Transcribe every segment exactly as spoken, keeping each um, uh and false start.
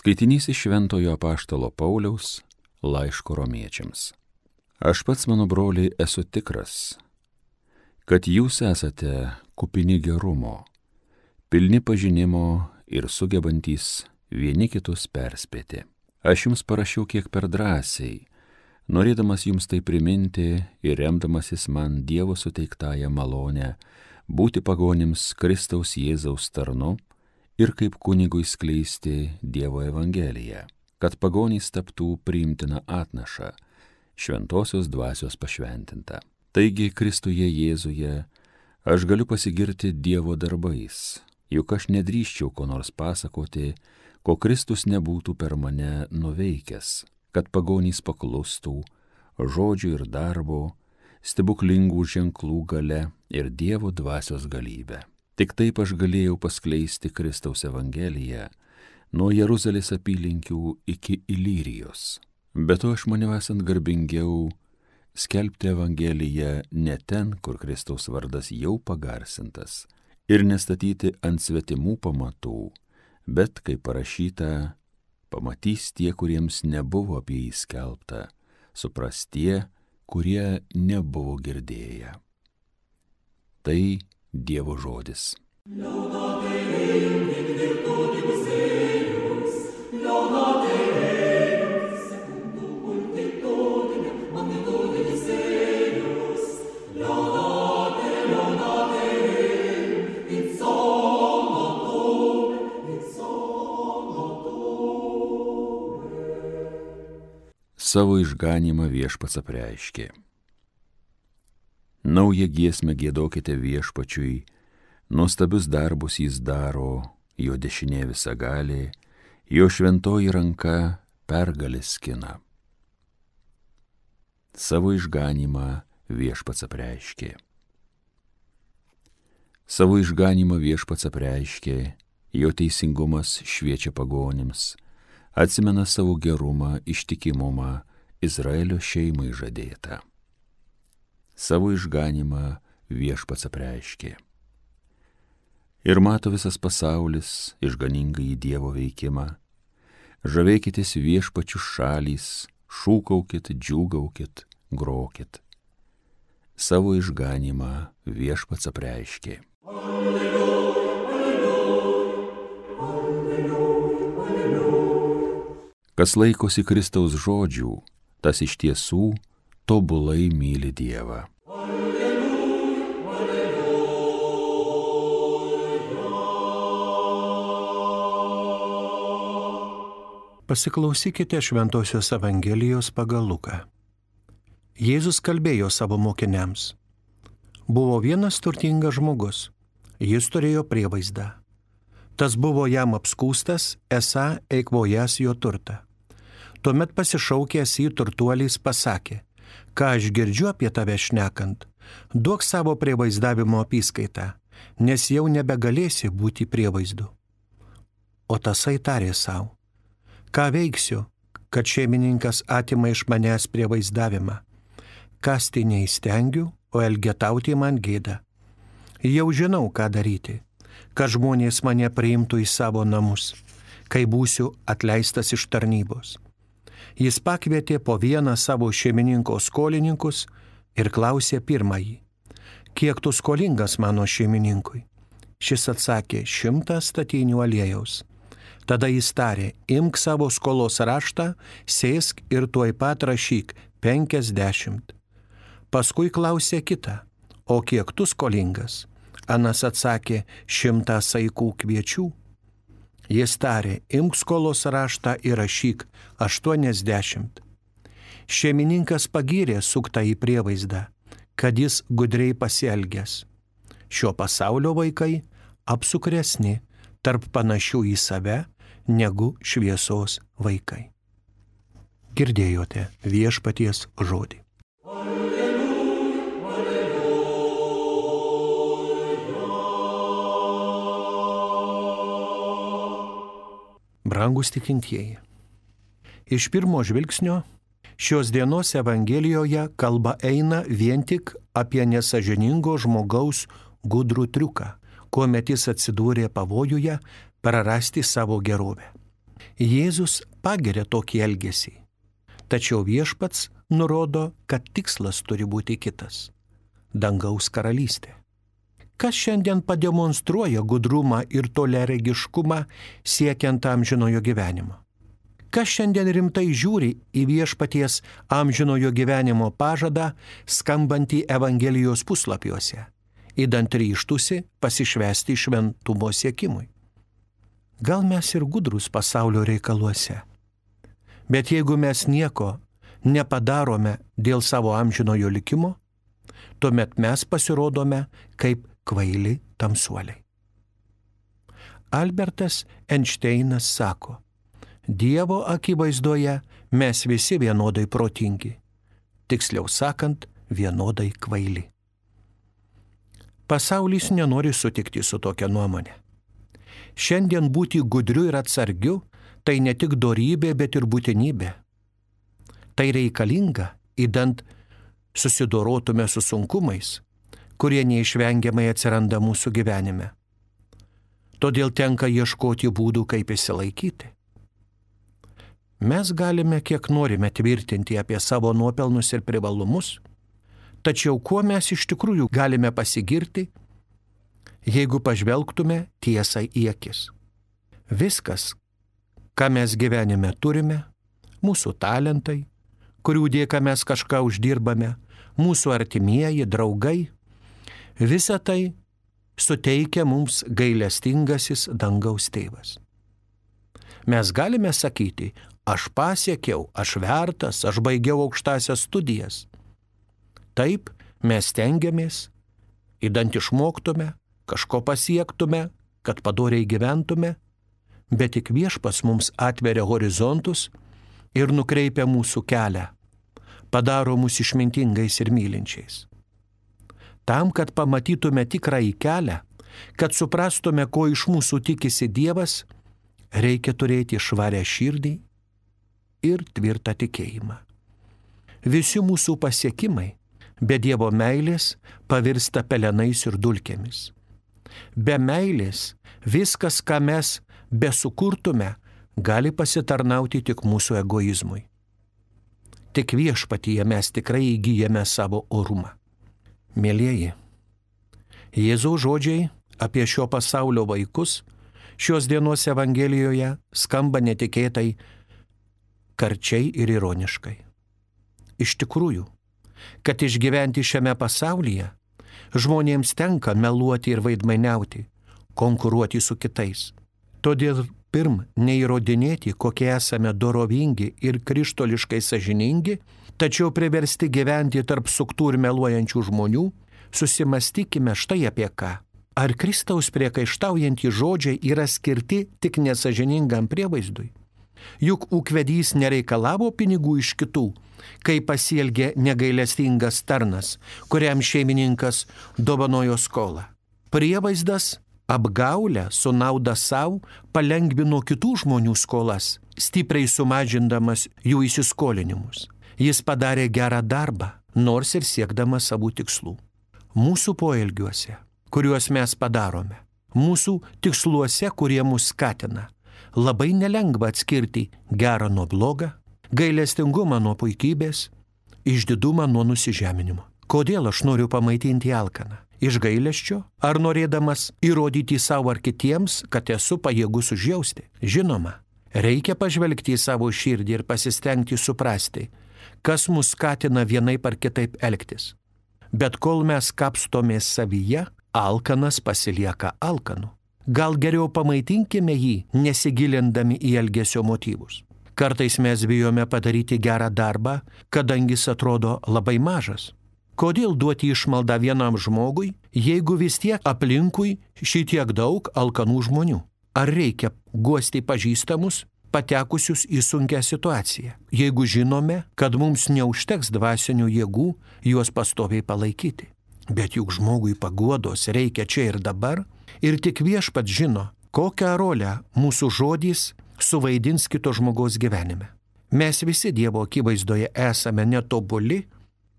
Skaitinys iš Šventojo apaštalo Pauliaus laiško romiečiams. Aš pats, mano broliai, esu tikras, kad jūs esate kupini gerumo, pilni pažinimo ir sugebantys vieni kitus perspėti. Aš jums parašiau kiek per drąsiai, norėdamas jums tai priminti ir remdamasis man Dievo suteiktąją malonę būti pagonims Kristaus Jėzaus tarnu ir kaip kunigui skleisti Dievo evangeliją, kad pagonys taptų priimtina atnaša, šventosios dvasios pašventinta. Taigi Kristuje Jėzuje aš galiu pasigirti Dievo darbais, juk aš nedrįsčiau ko nors pasakoti, ko Kristus nebūtų per mane nuveikęs, kad pagonys paklustų žodžių ir darbo, stebuklingų ženklų gale ir Dievo dvasios galybę. Tik taip aš galėjau paskleisti Kristaus evangeliją nuo Jeruzalės apylinkių iki Ilyrijos. Be to aš maniau esant garbingiau skelbti evangeliją ne ten, kur Kristaus vardas jau pagarsintas, ir nestatyti ant svetimų pamatų, bet, kaip parašyta, pamatys tie, kuriems nebuvo apie jį skelbta, supras tie, kurie nebuvo girdėję. Tai Dievo žodis. Savo išganymą Viešpats apreiškė. Naują giesmę giedokite Viešpačiui, nuostabius darbus jis daro, jo dešinė visagalė, jo šventoji ranka pergalės skina. Savo išganymą Viešpats apreiškė. Savo išganymą Viešpats apreiškė, jo teisingumas šviečia pagonims, atsimena savo gerumą, ištikimumą Izraelio šeimai žadėtą. Savo išganymą Viešpats apreiškė. Ir mato visas pasaulis išganingą į Dievo veikimą. Žavėkitės Viešpačių šalys, šūkaukit, džiūgaukit, grokit. Savo išganymą Viešpats apreiškė. Kas laikosi Kristaus žodžių, tas iš tiesų tobulai myli Dievą. Pasiklausykite Šventosios Evangelijos pagal Luką. Jėzus kalbėjo savo mokiniams. Buvo vienas turtingas žmogus, jis turėjo prievaizdą. Tas buvo jam apskūstas, esą eikvojęs jo turtą. Tuomet pasišaukęs į turtuolys pasakė: ką aš girdžiu apie tave šnekant, duok savo prievaizdavimo apyskaitą, nes jau nebegalėsi būti prievaizdu. O tasai tarė savo: ką veiksiu, kad šeimininkas atima iš manęs prievaizdavimą? Kasti neįstengiu, o elgetauti man gėda. Jau žinau, ką daryti, kad žmonės mane priimtų į savo namus, kai būsiu atleistas iš tarnybos. Jis pakvietė po vieną savo šeimininko skolininkus ir klausė pirmąjį: kiek tu skolingas mano šeimininkui? Šis atsakė: šimtą statinių aliejaus. Tada jis tarė: imk savo skolos raštą, sėsk ir tuoj pat rašyk penkiasdešimt. Paskui klausė kitą: o kiek tu skolingas? Anas atsakė: šimtą saikų kviečių. Jis tarė: imk skolos raštą ir rašyk aštuoniasdešimt. Šeimininkas pagyrė suktą į prievaizdą, kad jis gudriai pasielgęs. Šio pasaulio vaikai apsukresni tarp panašių į save negu šviesos vaikai. Girdėjote Viešpaties žodį. Brangūs tikintieji, iš pirmo žvilgsnio šios dienos Evangelijoje kalba eina vien tik apie nesąžiningo žmogaus gudrų triuką, kuomet jis atsidūrė pavojuje prarasti savo gerovę. Jėzus pagiria tokį elgesį, tačiau viešpats nurodo, kad tikslas turi būti kitas – dangaus karalystė. Kas šiandien pademonstruoja gudrumą ir toliaregiškumą siekiant amžinojo gyvenimo? Kas šiandien rimtai žiūri į viešpaties amžinojo gyvenimo pažadą skambantį Evangelijos puslapiuose, įdant ryžtusi pasišvęsti šventumo siekimui? Gal mes ir gudrus pasaulio reikaluose, bet jeigu mes nieko nepadarome dėl savo amžinojo likimo, tuomet mes pasirodome kaip kvaili tamsuoliai. Albertas Einšteinas sako, Dievo akivaizdoje mes visi vienodai protingi, tiksliau sakant, vienodai kvaili. Pasaulis nenori sutikti su tokia nuomonė. Šiandien būti gudriu ir atsargiu tai ne tik dorybė, bet ir būtinybė. Tai reikalinga, įdant susidorotume su sunkumais, kurie neišvengiamai atsiranda mūsų gyvenime. Todėl tenka ieškoti būdų, kaip išsilaikyti. Mes galime kiek norime tvirtinti apie savo nuopelnus ir privalumus, tačiau kuo mes iš tikrųjų galime pasigirti, jeigu pažvelgtume tiesai į akis. Viskas, ką mes gyvenime turime, mūsų talentai, kurių dėka mes kažką uždirbame, mūsų artimieji, draugai, visa tai suteikia mums gailestingasis dangaus tėvas. Mes galime sakyti, aš pasiekiau, aš vertas, aš baigiau aukštąsias studijas. Taip, mes stengiamės, įdant išmoktume, kažko pasiektume, kad padoriai gyventume, bet tik viešpas mums atveria horizontus ir nukreipia mūsų kelią, padaro mus išmintingais ir mylinčiais. Tam, kad pamatytume tikrąjį kelią, kad suprastume, ko iš mūsų tikisi Dievas, reikia turėti švarę širdį ir tvirtą tikėjimą. Visi mūsų pasiekimai be Dievo meilės pavirsta pelenais ir dulkėmis. Be meilės viskas, ką mes besukurtume, gali pasitarnauti tik mūsų egoizmui. Tik viešpatyje mes tikrai įgyjame savo orumą. Mielieji, Jėzaus žodžiai apie šio pasaulio vaikus šios dienos Evangelijoje skamba netikėtai, karčiai ir ironiškai. Iš tikrųjų, kad išgyventi šiame pasaulyje, žmonėms tenka meluoti ir veidmainiauti, konkuruoti su kitais. Todėl pirm neįrodinėti, kokie esame dorovingi ir krištoliškai sąžiningi, tačiau priversti gyventi tarp suktų ir meluojančių žmonių, susimastykime štai apie ką. Ar Kristaus priekaištaujantys žodžiai yra skirti tik nesąžiningam prievaizdui? Juk ūkvedys nereikalavo pinigų iš kitų, kai pasielgė negailestingas tarnas, kuriam šeimininkas dovanojo skolą. Prievaizdas apgaulę su nauda savo palengvino kitų žmonių skolas, stipriai sumažindamas jų įsiskolinimus. Jis padarė gerą darbą, nors ir siekdamas savų tikslų. Mūsų poelgiuose, kuriuos mes padarome, mūsų tiksluose, kurie mus skatina, labai nelengva atskirti gerą nuo blogą, gailestingumą nuo puikybės, išdidumą nuo nusižeminimo. Kodėl aš noriu pamaitinti alkaną? Iš gailesčio ar norėdamas įrodyti savo ar kitiems, kad esu pajėgus užjausti? Žinoma, reikia pažvelgti į savo širdį ir pasistengti suprasti, kas mus skatina vienaip ar kitaip elgtis. Bet kol mes kapstomės savyje, alkanas pasilieka alkanu. Gal geriau pamaitinkime jį, nesigilindami į elgesio motyvus. Kartais mes bijome padaryti gerą darbą, kadangi jis atrodo labai mažas. Kodėl duoti išmaldą vienam žmogui, jeigu vis tiek aplinkui šitiek daug alkanų žmonių? Ar reikia guosti pažįstamus, patekusius į sunkią situaciją, jeigu žinome, kad mums neužteks dvasinių jėgų juos pastoviai palaikyti? Bet juk žmogui paguodos reikia čia ir dabar, ir tik viešpats žino, kokią rolę mūsų žodis suvaidins kito žmogaus gyvenime. Mes visi Dievo akivaizdoje esame netobuli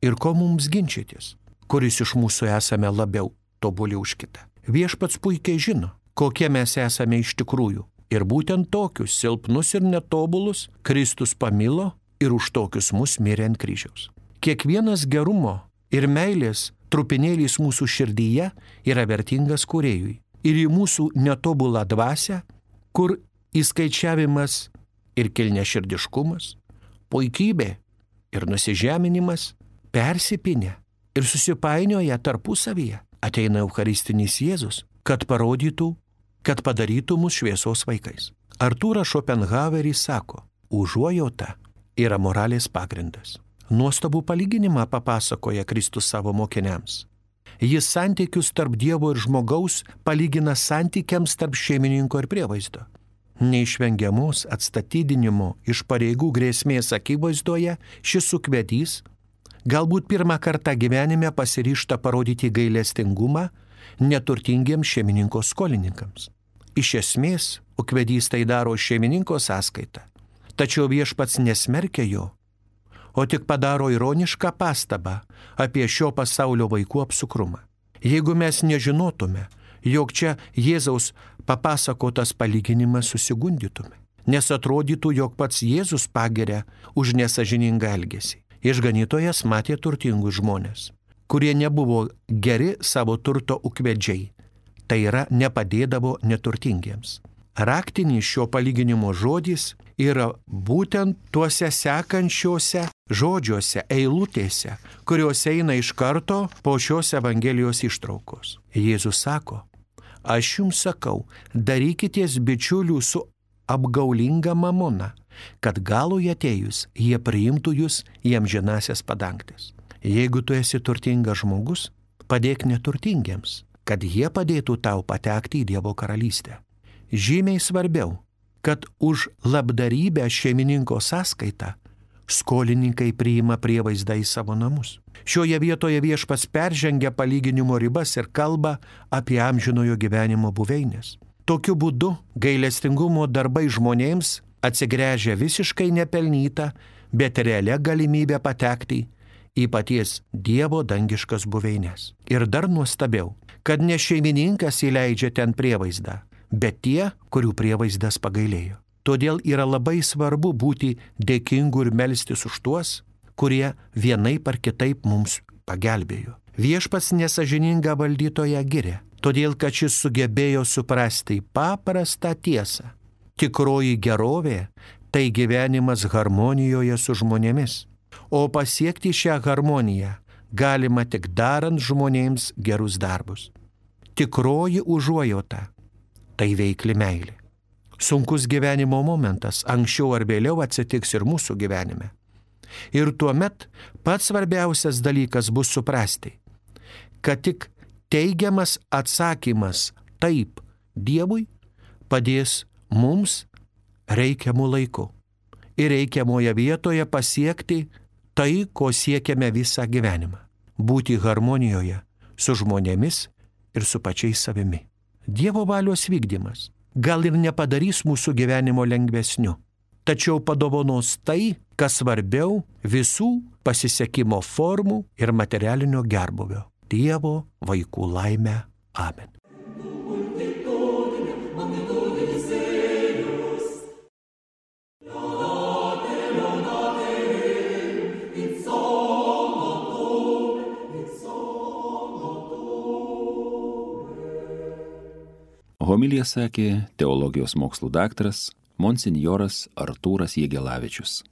ir ko mums ginčytis, kuris iš mūsų esame labiau tobuli už kitą. Viešpats puikiai žino, kokie mes esame iš tikrųjų, Ir būtent tokius silpnus ir netobulus Kristus pamilo ir už tokius mus mirė ant kryžiaus. Kiekvienas gerumo ir meilės trupinėlis mūsų širdyje yra vertingas kūrėjui. Ir į mūsų netobulą dvasią, kur įskaičiavimas ir kilniaširdiškumas, puikybė ir nusižeminimas persipinę ir susipainioja tarpusavyje, ateina Eucharistinis Jėzus, kad parodytų, kad padarytų mus šviesos vaikais. Artūras Šopenhaueris sako, užuojauta yra moralės pagrindas. Nuostabų palyginimą papasakoja Kristus savo mokiniams. Jis santykius tarp Dievo ir žmogaus palygina santykiams tarp šeimininko ir prievaizdo. Neišvengiamos atstatydinimo iš pareigų grėsmės akivaizdoje šis sukvedys galbūt pirmą kartą gyvenime pasiryžta parodyti gailestingumą neturtingiems šeimininko skolininkams. Iš esmės, ukvedys tai daro šeimininko sąskaitą, tačiau viešpats nesmerkia jo, o tik padaro ironišką pastabą apie šio pasaulio vaikų apsukrumą. Jeigu mes nežinotume, jog čia Jėzaus papasakotas palyginimas, susigundytume, nes atrodytų, jog pats Jėzus pagiria už nesažiningą elgesį. Išganytojas matė turtingus žmonės, kurie nebuvo geri savo turto ukvedžiai, tai yra nepadėdavo neturtingiems. Raktinis šio palyginimo žodis yra būtent tuose sekančiuose žodžiuose, eilutėse, kurios eina iš karto po šios Evangelijos ištraukos. Jėzus sako, aš jums sakau, darykitės bičiulių su apgaulinga mamona, kad galui atėjus jie priimtų jūs į amžinasias padangtes. Jeigu tu esi turtingas žmogus, padėk neturtingiems, kad jie padėtų tau patekti į Dievo karalystę. Žymiai svarbiau, kad už labdarybę šeimininko sąskaitą skolininkai priima prievaizdą į savo namus. Šioje vietoje viešpats peržengia palyginimo ribas ir kalba apie amžinojo gyvenimo buveinės. Tokiu būdu gailestingumo darbai žmonėms atsigręžia visiškai nepelnytą, bet realią galimybę patekti į paties Dievo dangiškas buveinės. Ir dar nuostabiau, kad ne šeimininkas įleidžia ten prievaizdą, bet tie, kurių prievaizdas pagailėjo. Todėl yra labai svarbu būti dėkingu ir melstis už tuos, kurie vienaip ar kitaip mums pagelbėjo. Viešpats nesažiningą valdytoją giria, todėl kad šis sugebėjo suprasti paprastą tiesą. Tikroji gerovė tai gyvenimas harmonijoje su žmonėmis, o pasiekti šią harmoniją galima tik darant žmonėms gerus darbus. Tikroji užuojauta tai veikli meilė. Sunkus gyvenimo momentas anksčiau ar vėliau atsitiks ir mūsų gyvenime. Ir tuomet pats svarbiausias dalykas bus suprasti, kad tik teigiamas atsakymas taip Dievui padės mums reikiamų laikų ir reikiamoje vietoje pasiekti tai, ko siekiame visą gyvenimą – būti harmonijoje su žmonėmis ir su pačiais savimi. Dievo valios vykdymas gal ir nepadarys mūsų gyvenimo lengvesniu, tačiau padovanos tai, kas svarbiau visų pasisekimo formų ir materialinio gerbūvio – Dievo vaikų laimę. Amen. Homiliją sakė teologijos mokslų daktaras monsinjoras Artūras Jegelavičius.